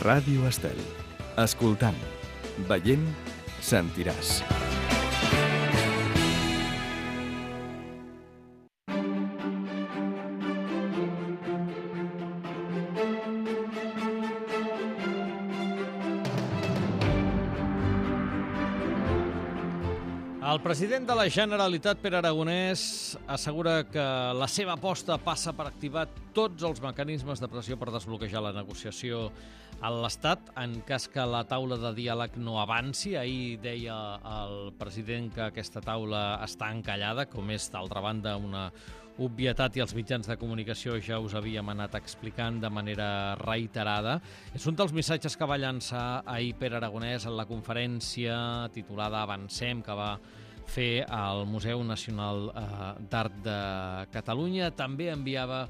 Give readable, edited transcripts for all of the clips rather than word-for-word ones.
Ràdio Estel. Escoltant, veient, sentiràs. El president de la Generalitat, Pere Aragonès, assegura que la seva aposta passa per activar tots els mecanismes de pressió per desbloquejar la negociació a l'Estat en cas que la taula de diàleg no avanci. Ahir deia el president que aquesta taula està encallada, com és, d'altra banda, una obvietat i els mitjans de comunicació ja us havíem anat explicant de manera reiterada. És un dels missatges que va llançar ahir Pere Aragonès en la conferència titulada Avancem, que va fer al Museu Nacional d'Art de Catalunya. També enviava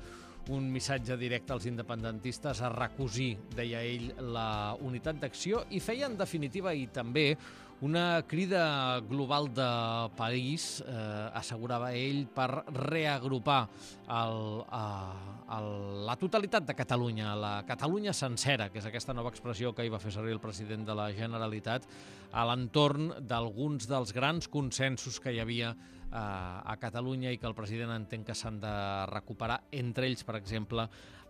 un missatge directe als independentistes a recosir, deia ell, la unitat d'acció i feia, en definitiva, i també una crida global de país, assegurava ell, per reagrupar la totalitat de Catalunya, la Catalunya sencera, que és aquesta nova expressió que hi va fer servir el president de la Generalitat, a l'entorn d'alguns dels grans consensos que hi havia a Catalunya i que el president entén que s'han de recuperar, entre ells, per exemple,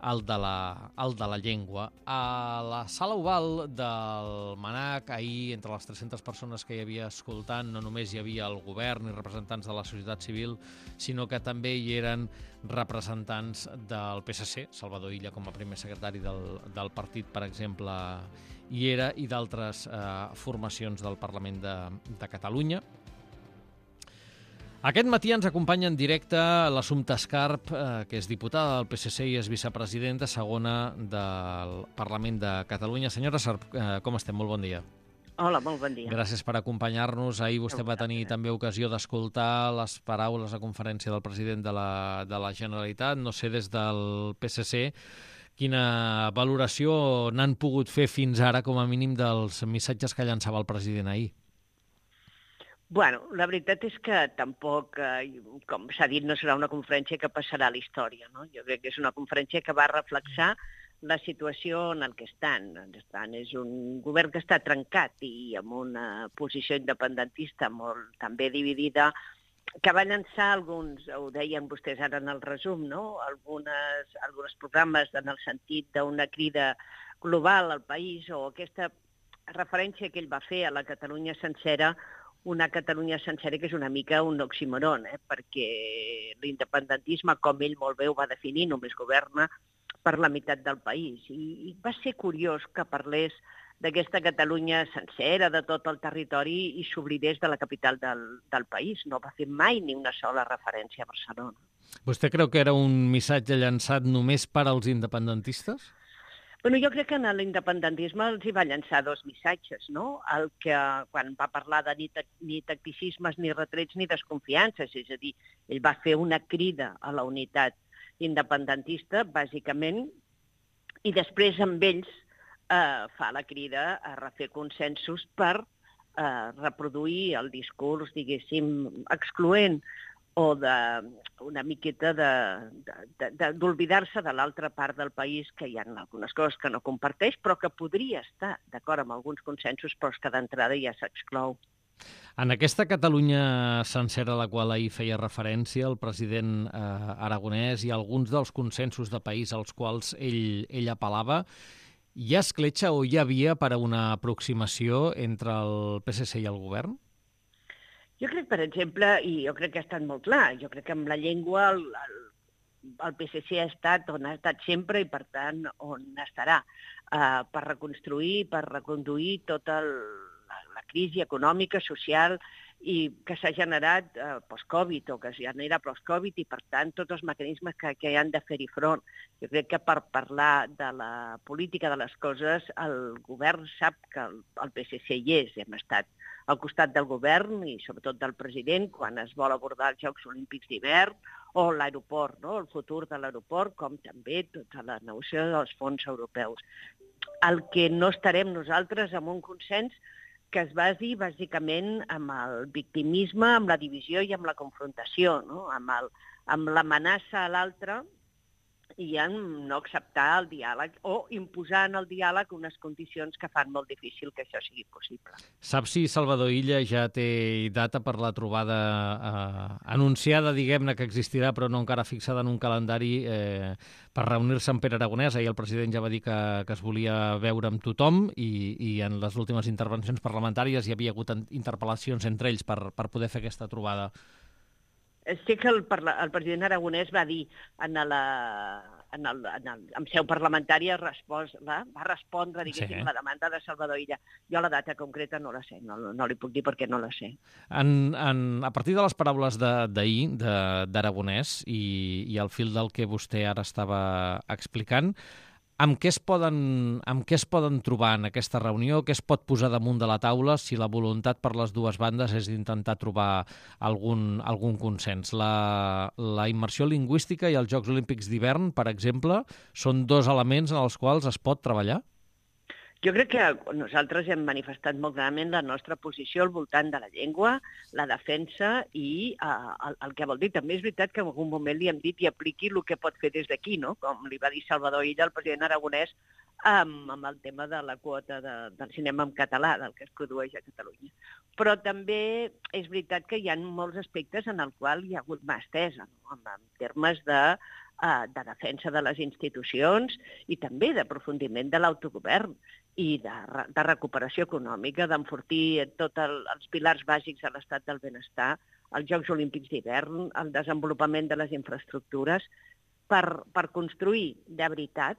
el de la llengua. A la sala oval del MNAC, ahir, entre les 300 persones que hi havia escoltant, no només hi havia el govern i representants de la societat civil, sinó que també hi eren representants del PSC, Salvador Illa com a primer secretari del partit, per exemple, hi era, i d'altres formacions del Parlament de Catalunya. Aquest matí ens acompanya en directe l'Assumpta Escarp, que és diputada del PSC i és vicepresidenta segona del Parlament de Catalunya. Senyora Escarp, com estem? Molt bon dia. Hola, molt bon dia. Gràcies per acompanyar-nos. Ahir vostè va tenir també ocasió d'escoltar les paraules a conferència del president de la Generalitat. No sé, des del PSC, quina valoració n'han pogut fer fins ara, com a mínim, dels missatges que llançava el president ahir? Bueno, la veritat és que tampoc, com s'ha dit, no serà una conferència que passarà a la història, no? Jo crec que és una conferència que va reflexar la situació en què estan. És un govern que està trencat i amb una posició independentista molt també dividida, que va llançar alguns, ho deien vostès ara en el resum, no? Alguns programes en el sentit d'una crida global al país, o aquesta referència que ell va fer a la Catalunya sencera, una Catalunya sencera que és una mica un oxímoron, perquè l'independentisme, com ell molt bé ho va definir, només governa per la meitat del país. I va ser curiós que parlés d'aquesta Catalunya sencera, de tot el territori, i s'oblidés de la capital del país. No va fer mai ni una sola referència a Barcelona. Vostè creu que era un missatge llançat només per als independentistes? Bueno, jo crec que en l'independentisme els hi va llançar dos missatges, no? El que, quan va parlar de ni tacticismes, ni retrets, ni desconfiances, és a dir, ell va fer una crida a la unitat independentista, bàsicament, i després amb ells fa la crida a refer consensos per reproduir el discurs, diguéssim, excloent, o una miqueta d'oblidar-se de l'altra part del país, que hi ha algunes coses que no comparteix, però que podria estar d'acord amb alguns consensos, però que d'entrada ja s'exclou. En aquesta Catalunya sencera a la qual ahir feia referència el president Aragonès i alguns dels consensos de país als quals ell apel·lava, hi ha escletxa o hi havia per a una aproximació entre el PSC i el govern? Jo crec, per exemple, i jo crec que ha estat molt clar, jo crec que amb la llengua el PSC ha estat on ha estat sempre i, per tant, on estarà, per reconstruir, per reconduir tota la crisi econòmica, social, i que s'ha generat post-Covid, o que es genera post-Covid, i, per tant, tots els mecanismes que han de fer-hi front. Jo crec que per parlar de la política de les coses, el govern sap que el PSC hi és, hem estat al costat del govern i sobretot del president quan es vol abordar els Jocs Olímpics d'hivern o l'aeroport, no? El futur de l'aeroport, com també tota la negociació dels fons europeus. El que no estarem nosaltres amb un consens que es basi bàsicament amb el victimisme, amb la divisió i amb la confrontació, no? Amb l'amenaça a l'altre i en no acceptar el diàleg o imposar en el diàleg unes condicions que fan molt difícil que això sigui possible. Saps si Salvador Illa ja té data per la trobada anunciada, diguem-ne, que existirà, però no encara fixada en un calendari per reunir-se amb Pere Aragonès? Ahir el president ja va dir que es volia veure amb tothom i en les últimes intervencions parlamentàries hi havia hagut interpel·lacions entre ells per poder fer aquesta trobada. Sé que el president Aragonès va dir en seu parlamentària va respondre, diguéssim, la demanda de Salvador Illa. Jo la data concreta no la sé, no li puc dir perquè no la sé. A partir de les paraules d'ahir d'Aragonès i al fil del que vostè ara estava explicant, amb què es poden trobar en aquesta reunió? Què es pot posar damunt de la taula si la voluntat per les dues bandes és d'intentar trobar algun consens? La immersió lingüística i els Jocs Olímpics d'hivern, per exemple, són dos elements en els quals es pot treballar? Jo crec que nosaltres hem manifestat molt clarament la nostra posició al voltant de la llengua, la defensa i el que vol dir. També és veritat que en algun moment li hem dit i apliqui el que pot fer des d'aquí, no? Com li va dir Salvador Illa al president Aragonès amb el tema de la quota del cinema en català, del que es produeix a Catalunya. Però també és veritat que hi ha molts aspectes en els quals hi ha hagut mà estesa, no? En termes de defensa de les institucions i també d'aprofundiment de l'autogovern i de recuperació econòmica, d'enfortir tots els pilars bàsics de l'estat del benestar, els Jocs Olímpics d'hivern, el desenvolupament de les infraestructures, per construir de veritat.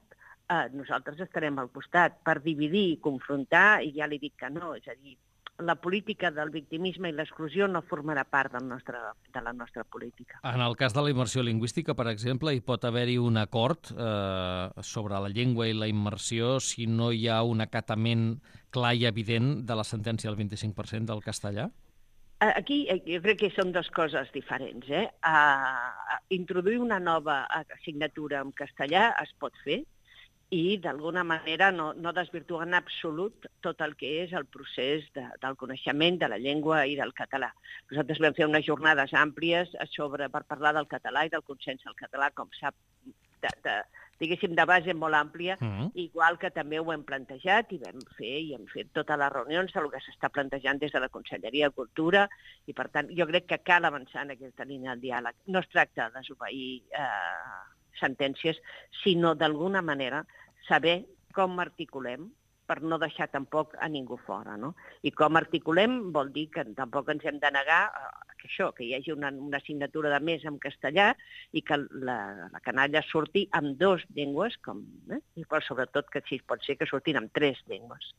Nosaltres estarem al costat. Per dividir i confrontar, i ja li dic que no, és a dir, la política del victimisme i l'exclusió no formarà part de la nostra política. En el cas de la immersió lingüística, per exemple, hi pot haver-hi un acord sobre la llengua i la immersió si no hi ha un acatament clar i evident de la sentència del 25% del castellà? Aquí jo crec que són dues coses diferents. Introduir una nova assignatura en castellà es pot fer, i d'alguna manera no desvirtuar en absolut tot el que és el procés del coneixement de la llengua i del català. Nosaltres vam fer unes jornades àmplies per parlar del català i del consens al català, com sap, diguéssim, de base molt àmplia, igual que també ho hem plantejat i hem fet totes les reunions del que s'està plantejant des de la Conselleria de Cultura i, per tant, jo crec que cal avançar en aquesta línia del diàleg. No es tracta de desobeir sentències, sinó d'alguna manera saber com articulem per no deixar tampoc a ningú fora, no? I com articulem vol dir que tampoc ens hem de negar que hi hagi una assignatura de més en castellà i que la canalla surti amb dues llengües, però sobretot que si pot ser que surtin amb 3 llengües.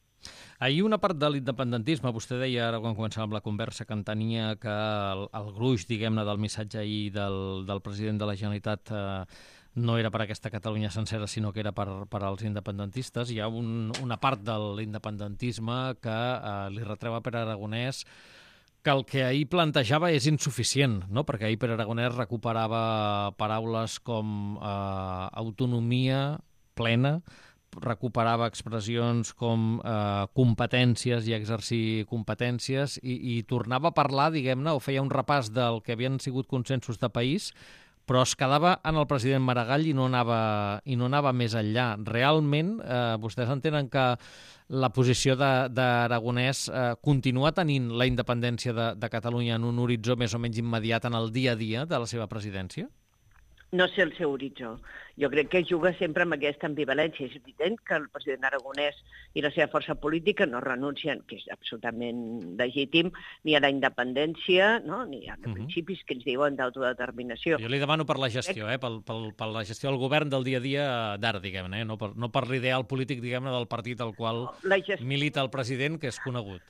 Ahir una part de l'independentisme, vostè deia ara quan començàvem la conversa que entenia que el gruix, diguem-ne, del missatge ahir del president de la Generalitat no era per aquesta Catalunya sencera, sinó que era per als independentistes. Hi ha una part de l'independentisme que li retreu a Pere Aragonès que el que ahir plantejava és insuficient, no? Perquè ahir Pere Aragonès recuperava paraules com autonomia plena, recuperava expressions com competències i exercir competències i tornava a parlar, diguem-ne, o feia un repàs del que havien sigut consensos de país, però es quedava en el president Maragall i no anava més enllà. Realment, vostès entenen que la posició d'Aragonès continua tenint la independència de Catalunya en un horitzó més o menys immediat en el dia a dia de la seva presidència? No sé el seu horitzó. Jo crec que juga sempre amb aquesta ambivalència. És evident que el president Aragonès i la seva força política no renuncien, que és absolutament legítim, ni a la independència, no? Ni als principis que ens diuen d'autodeterminació. Jo li demano per la gestió, per la gestió del govern del dia a dia d'ara, diguem-ne, no per l'ideal polític, diguem-ne, del partit al qual milita el president, que és conegut.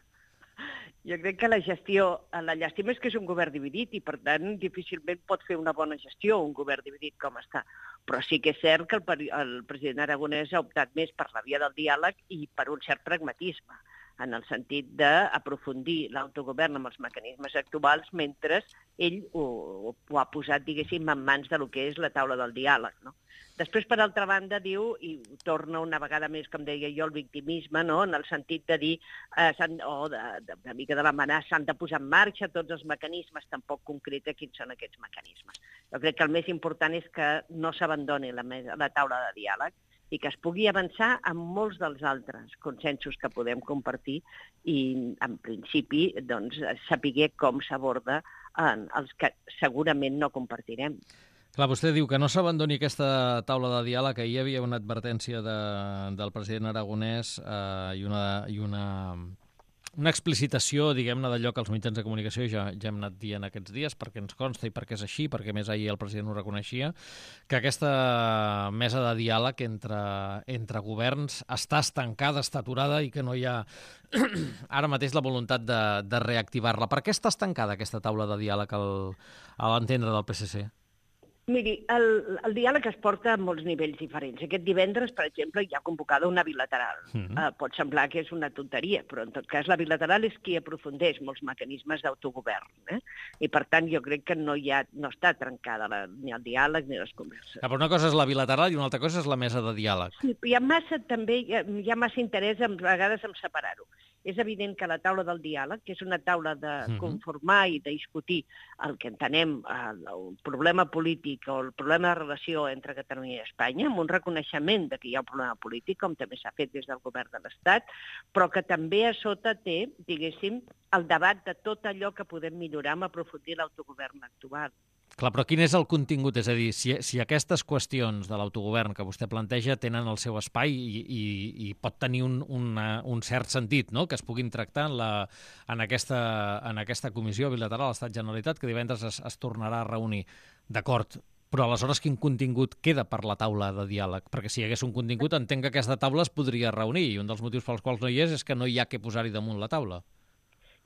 Jo crec que la llàstima és que és un govern dividit i, per tant, difícilment pot fer una bona gestió un govern dividit com està. Però sí que és cert que el president Aragonès ha optat més per la via del diàleg i per un cert pragmatisme, en el sentit d'aprofundir l'autogovern amb els mecanismes actuals mentre ell ho ha posat, diguéssim, en mans del que és la taula del diàleg, no? Després, per altra banda, diu, i torna una vegada més, com deia jo, el victimisme, no? En el sentit de dir, una mica de l'amenaça, s'han de posar en marxa tots els mecanismes, tampoc concreta quins són aquests mecanismes. Jo crec que el més important és que no s'abandoni la taula de diàleg i que es pugui avançar amb molts dels altres consensos que podem compartir i, en principi, doncs, saber com s'aborda els que segurament no compartirem. Clar, vostè diu que no s'abandoni aquesta taula de diàleg, que hi havia una advertència del president aragonès i una explicitació, diguem-ne, d'allò que els mitjans de comunicació ja hem anat dient aquests dies, perquè ens consta i perquè és així, perquè més ahir el president ho reconeixia, que aquesta mesa de diàleg entre governs està estancada, està aturada i que no hi ha ara mateix la voluntat de reactivar-la. Per què està estancada aquesta taula de diàleg a l'entendre del PSC? Miri, el diàleg es porta a molts nivells diferents. Aquest divendres, per exemple, hi ha convocada una bilateral. Pot semblar que és una tonteria, però en tot cas la bilateral és qui aprofundeix molts mecanismes d'autogovern. I per tant jo crec que no està trencada ni el diàleg ni les converses. Però una cosa és la bilateral i una altra cosa és la mesa de diàleg. Sí, hi ha massa interès a vegades en separar-ho. És evident que la taula del diàleg, que és una taula de conformar i de discutir el que entenem el problema polític o el problema de relació entre Catalunya i Espanya, amb un reconeixement de que hi ha un problema polític, com també s'ha fet des del govern de l'Estat, però que també a sota té, diguéssim, el debat de tot allò que podem millorar amb aprofundir l'autogovern actual. Clar, però quin és el contingut? És a dir, si aquestes qüestions de l'autogovern que vostè planteja tenen el seu espai i pot tenir un cert sentit, no?, que es puguin tractar en aquesta comissió bilateral Estat-Generalitat que divendres es tornarà a reunir. D'acord, però aleshores quin contingut queda per la taula de diàleg? Perquè si hi hagués un contingut, entenc que aquesta taula es podria reunir i un dels motius pels quals no hi és que no hi ha que posar-hi damunt la taula.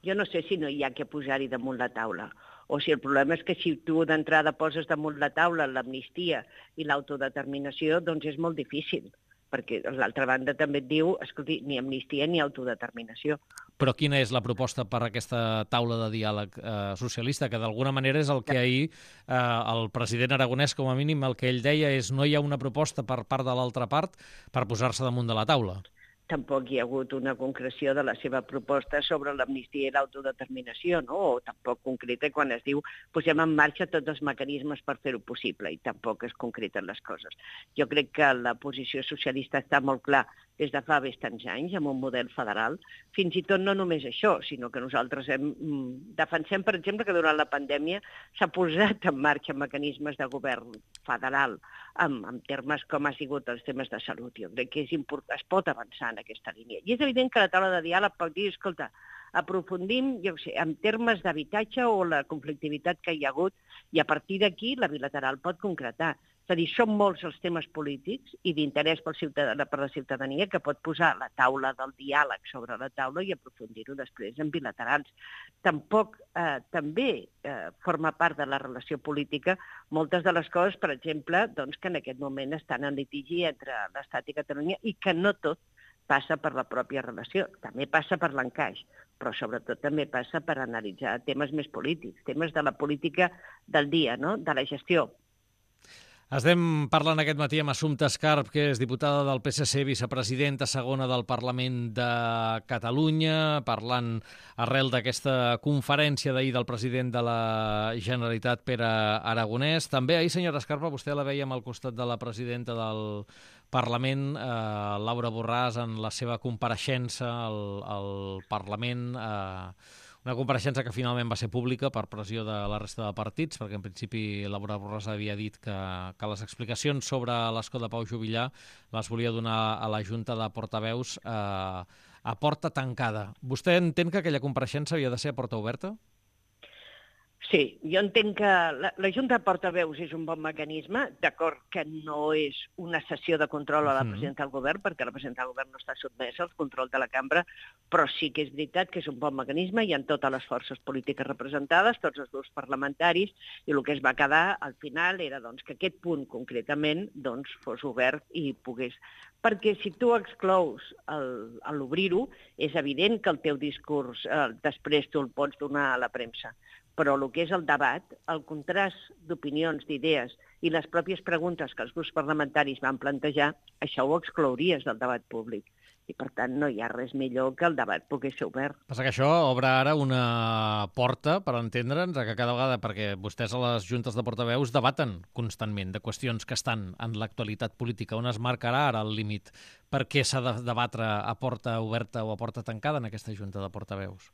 Jo no sé si no hi ha que posar-hi damunt la taula, o si el problema és que si tu d'entrada poses damunt la taula l'amnistia i l'autodeterminació, doncs és molt difícil, perquè l'altra banda també et diu, escolti, ni amnistia ni autodeterminació. Però quina és la proposta per a aquesta taula de diàleg socialista? Que d'alguna manera és el que ahir el president aragonès, com a mínim, el que ell deia és no hi ha una proposta per part de l'altra part per posar-se damunt de la taula. Tampoc hi ha hagut una concreció de la seva proposta sobre l'amnistia i l'autodeterminació, no? O tampoc concreta quan es diu posem en marxa tots els mecanismes per fer-ho possible i tampoc es concreten les coses. Jo crec que la posició socialista està molt clar des de fa bastants anys, amb un model federal. Fins i tot no només això, sinó que nosaltres defensem, per exemple, que durant la pandèmia s'ha posat en marxa mecanismes de govern federal en termes com ha sigut els temes de salut. Jo crec que es pot avançar en aquesta línia. I és evident que la taula de diàleg pot dir, escolta, aprofundim, jo sé, en termes d'habitatge o la conflictivitat que hi ha hagut i a partir d'aquí la bilateral pot concretar. És a dir, són molts els temes polítics i d'interès per la ciutadania que pot posar la taula del diàleg sobre la taula i aprofundir-ho després en bilaterals. Tampoc també forma part de la relació política moltes de les coses, per exemple, doncs, que en aquest moment estan en litigi entre l'Estat i Catalunya i que no tot passa per la pròpia relació, també passa per l'encaix, però sobretot també passa per analitzar temes més polítics, temes de la política del dia, no?, de la gestió. Estem parlant aquest matí amb Assumpta Escarp, que és diputada del PSC, vicepresidenta segona del Parlament de Catalunya, parlant arrel d'aquesta conferència d'ahir del president de la Generalitat, Pere Aragonès. També ahir, senyora Escarpa, vostè la veiem al costat de la presidenta del Parlament, Laura Borràs, en la seva compareixença al Parlament, una compareixença que finalment va ser pública per pressió de la resta de partits, perquè en principi Laura Borràs havia dit que les explicacions sobre l'escó de Pau Juvillà les volia donar a la Junta de Portaveus a porta tancada. Vostè entén que aquella compareixença havia de ser a porta oberta? Sí, jo entenc que la Junta de Portaveus és un bon mecanisme, d'acord que no és una sessió de control a la presidenta del govern, perquè la presidenta del govern no està sotmesa al control de la cambra, però sí que és veritat que és un bon mecanisme, hi ha totes les forces polítiques representades, tots els grups parlamentaris, i el que es va quedar al final era doncs, que aquest punt concretament doncs, fos obert i pogués. Perquè si tu exclous l'obrir-ho, és evident que el teu discurs després tu el pots donar a la premsa. Però el que és el debat, el contrast d'opinions, d'idees i les pròpies preguntes que els grups parlamentaris van plantejar, això ho exclouries del debat públic. I, per tant, no hi ha res millor que el debat pugui ser obert. Passa que això obre ara una porta, per entendre'ns, que cada vegada, perquè vostès a les juntes de portaveus debaten constantment de qüestions que estan en l'actualitat política, on es marcarà ara el límit per què s'ha de debatre a porta oberta o a porta tancada en aquesta junta de portaveus?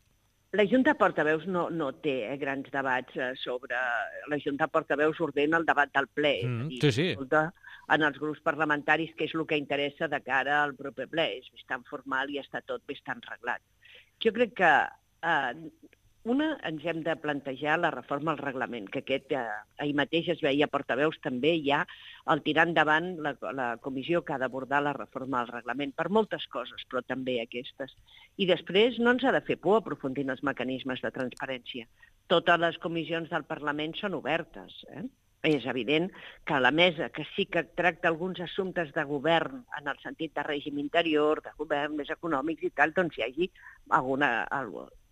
La Junta de Portaveus no té grans debats sobre... La Junta de Portaveus ordena el debat del ple. Sí. Escolta, en els grups parlamentaris què és el que interessa de cara al proper ple. És bastant formal i està tot bastant reglat. Jo crec que ens hem de plantejar la reforma al reglament, que ahir mateix es veia a Portaveus també ja el tirar endavant la comissió que ha d'abordar la reforma al reglament per moltes coses, però també aquestes. I després no ens ha de fer por aprofundir en els mecanismes de transparència. Totes les comissions del Parlament són obertes, És evident que la mesa, que sí que tracta alguns assumptes de govern en el sentit de règim interior, de govern, més econòmics i tal, doncs hi hagi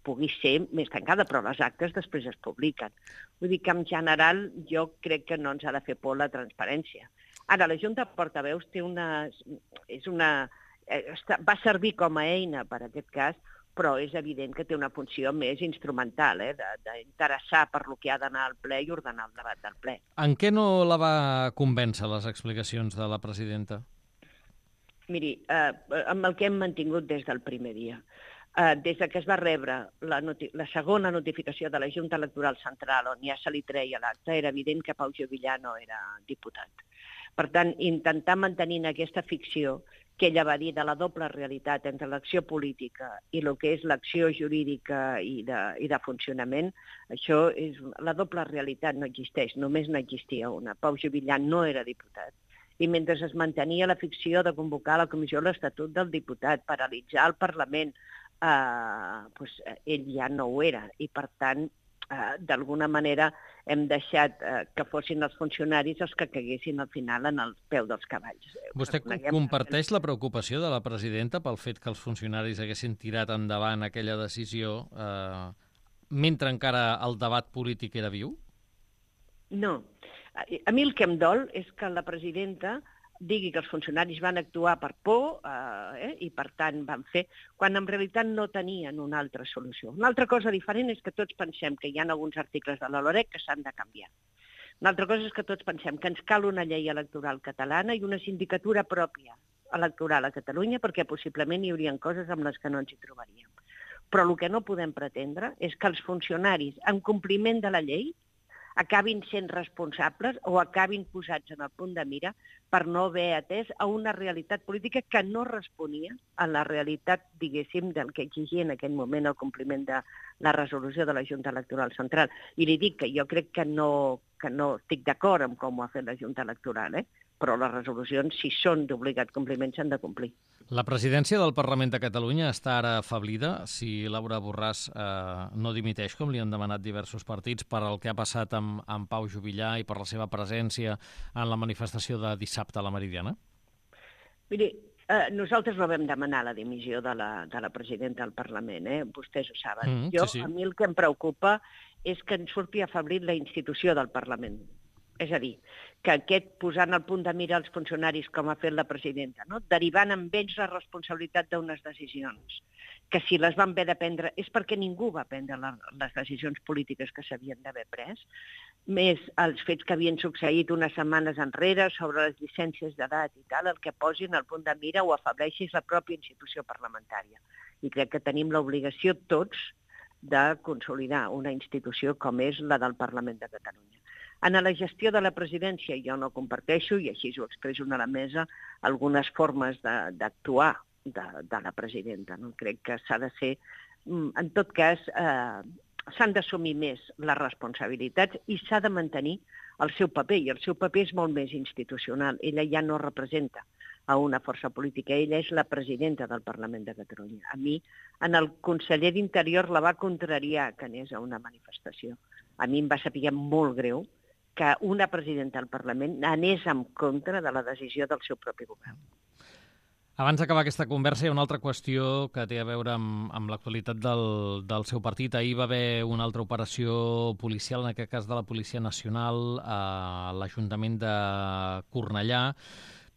pugui ser més tancada, però les actes després es publiquen. Vull dir que, en general, jo crec que no ens ha de fer por la transparència. Ara, la Junta de Portaveus va servir com a eina per aquest cas, però és evident que té una funció més instrumental, d'interessar per lo que ha d'anar al ple i ordenar el debat del ple. En què no la va convèncer les explicacions de la presidenta? Miri, amb el que hem mantingut des del primer dia. Des que es va rebre la segona notificació de la Junta Electoral Central, on ja se li treia l'acte, era evident que Pau Juvillà no era diputat. Per tant, intentar mantenir aquesta ficció que ella va dir de la doble realitat entre l'acció política i el que és l'acció jurídica i de funcionament, això és la doble realitat no existeix, només n'existia una. Pau Juvillà no era diputat. I mentre es mantenia la ficció de convocar la comissió de l'Estatut del diputat, paralitzar el Parlament, ell ja no ho era. I, per tant, d'alguna manera hem deixat que fossin els funcionaris els que caguessin al final en el peu dels cavalls. Vostè comparteix la preocupació de la presidenta pel fet que els funcionaris haguessin tirat endavant aquella decisió mentre encara el debat polític era viu? No. A mi el que em dol és que la presidenta digui que els funcionaris van actuar per por i, per tant, van fer, quan en realitat no tenien una altra solució. Una altra cosa diferent és que tots pensem que hi ha alguns articles de la LOREC que s'han de canviar. Una altra cosa és que tots pensem que ens cal una llei electoral catalana i una sindicatura pròpia electoral a Catalunya, perquè possiblement hi haurien coses amb les que no ens hi trobaríem. Però el que no podem pretendre és que els funcionaris, en compliment de la llei, acabin sent responsables o acabin posats en el punt de mira per no haver atès a una realitat política que no responia a la realitat, diguéssim, del que exigia en aquell moment el compliment de la resolució de la Junta Electoral Central. I li dic que jo crec que no estic d'acord amb com ho ha fet la Junta Electoral, però les resolucions, si són d'obligat compliment, s'han de complir. La presidència del Parlament de Catalunya està ara afablida si Laura Borràs no dimiteix, com li han demanat diversos partits, per el que ha passat amb Pau Juvillà i per la seva presència en la manifestació de dissabte a la Meridiana? Miri, nosaltres no vam demanar la dimissió de la presidenta del Parlament, vostès ho saben. A mi el que em preocupa és que ens surti afablit la institució del Parlament. És a dir, que aquest posant al punt de mira els funcionaris, com ha fet la presidenta, derivant amb ells la responsabilitat d'unes decisions, que si les van haver de prendre és perquè ningú va prendre les decisions polítiques que s'havien d'haver pres, més els fets que havien succeït unes setmanes enrere sobre les llicències d'edat i tal, el que posin al punt de mira o afableixis la pròpia institució parlamentària. I crec que tenim l'obligació tots de consolidar una institució com és la del Parlament de Catalunya. En la gestió de la presidència jo no comparteixo, i així ho expresso a la mesa, algunes formes d'actuar de la presidenta. Crec que s'ha de ser, en tot cas, s'han d'assumir més les responsabilitats i s'ha de mantenir el seu paper, i el seu paper és molt més institucional. Ella ja no representa a una força política, ella és la presidenta del Parlament de Catalunya. A mi, el conseller d'Interior la va contrariar que anés a una manifestació. A mi em va saber molt greu que una presidenta del Parlament anés en contra de la decisió del seu propi govern. Abans d'acabar aquesta conversa, hi ha una altra qüestió que té a veure amb l'actualitat del seu partit. Ahir va haver una altra operació policial, en aquest cas de la Policia Nacional, a l'Ajuntament de Cornellà,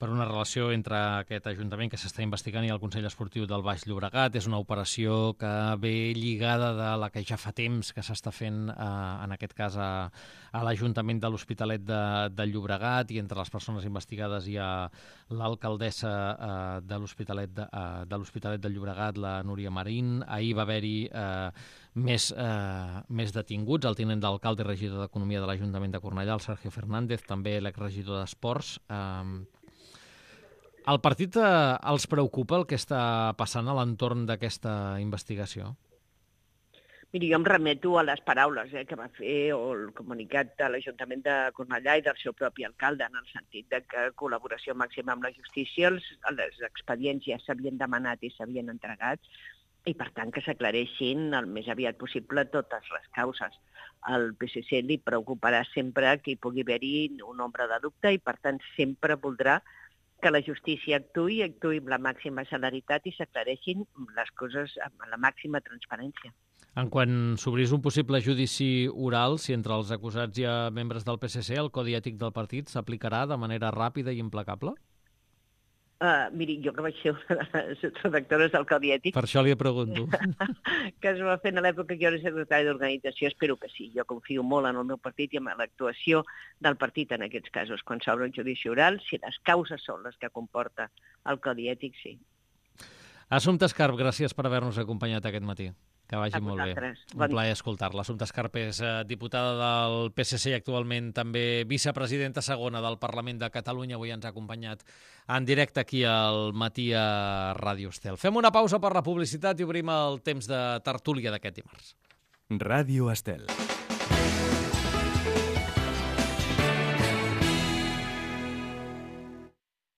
per una relació entre aquest Ajuntament que s'està investigant i el Consell Esportiu del Baix Llobregat. És una operació que ve lligada de la que ja fa temps que s'està fent, en aquest cas, a l'Ajuntament de l'Hospitalet de Llobregat, i entre les persones investigades hi ha l'alcaldessa de l'Hospitalet de Llobregat, la Núria Marín. Ahir va haver-hi més detinguts, el tinent d'alcalde i regidor d'Economia de l'Ajuntament de Cornellà, el Sergio Fernández, també l'exregidor d'Esports. Al partit els preocupa el que està passant a l'entorn d'aquesta investigació? Miri, jo em remeto a les paraules que va fer o el comunicat de l'Ajuntament de Cornellà i del seu propi alcalde, en el sentit de que col·laboració màxima amb la justícia, els expedients ja s'havien demanat i s'havien entregat, i per tant que s'aclareixin el més aviat possible totes les causes. Al PSC li preocuparà sempre que hi pugui haver-hi un ombra de dubte i per tant sempre voldrà que la justícia actuï amb la màxima celeritat i s'aclareixin les coses amb la màxima transparència. En quan s'obrís un possible judici oral, si entre els acusats hi ha membres del PSC, el Codi Ètic del partit s'aplicarà de manera ràpida i implacable? Miri, jo que vaig ser una de les redactores del Codi Ètic... Per això li pregunto. Que es va fer a l'època que jo era secretari d'organització, espero que sí. Jo confio molt en el meu partit i en l'actuació del partit en aquests casos. Quan s'obre un judici oral, si les causes són les que comporta el Codi Ètic, sí. Assumpta Escarp, gràcies per haver-nos acompanyat aquest matí. Que vagi molt bé. Un plaer escoltar-la. Assumpta Escarp és diputada del PSC i actualment també vicepresidenta segona del Parlament de Catalunya. Avui ens ha acompanyat en directe aquí al Matí a Ràdio Estel. Fem una pausa per la publicitat i obrim el temps de tertúlia d'aquest dimarts. Ràdio Estel.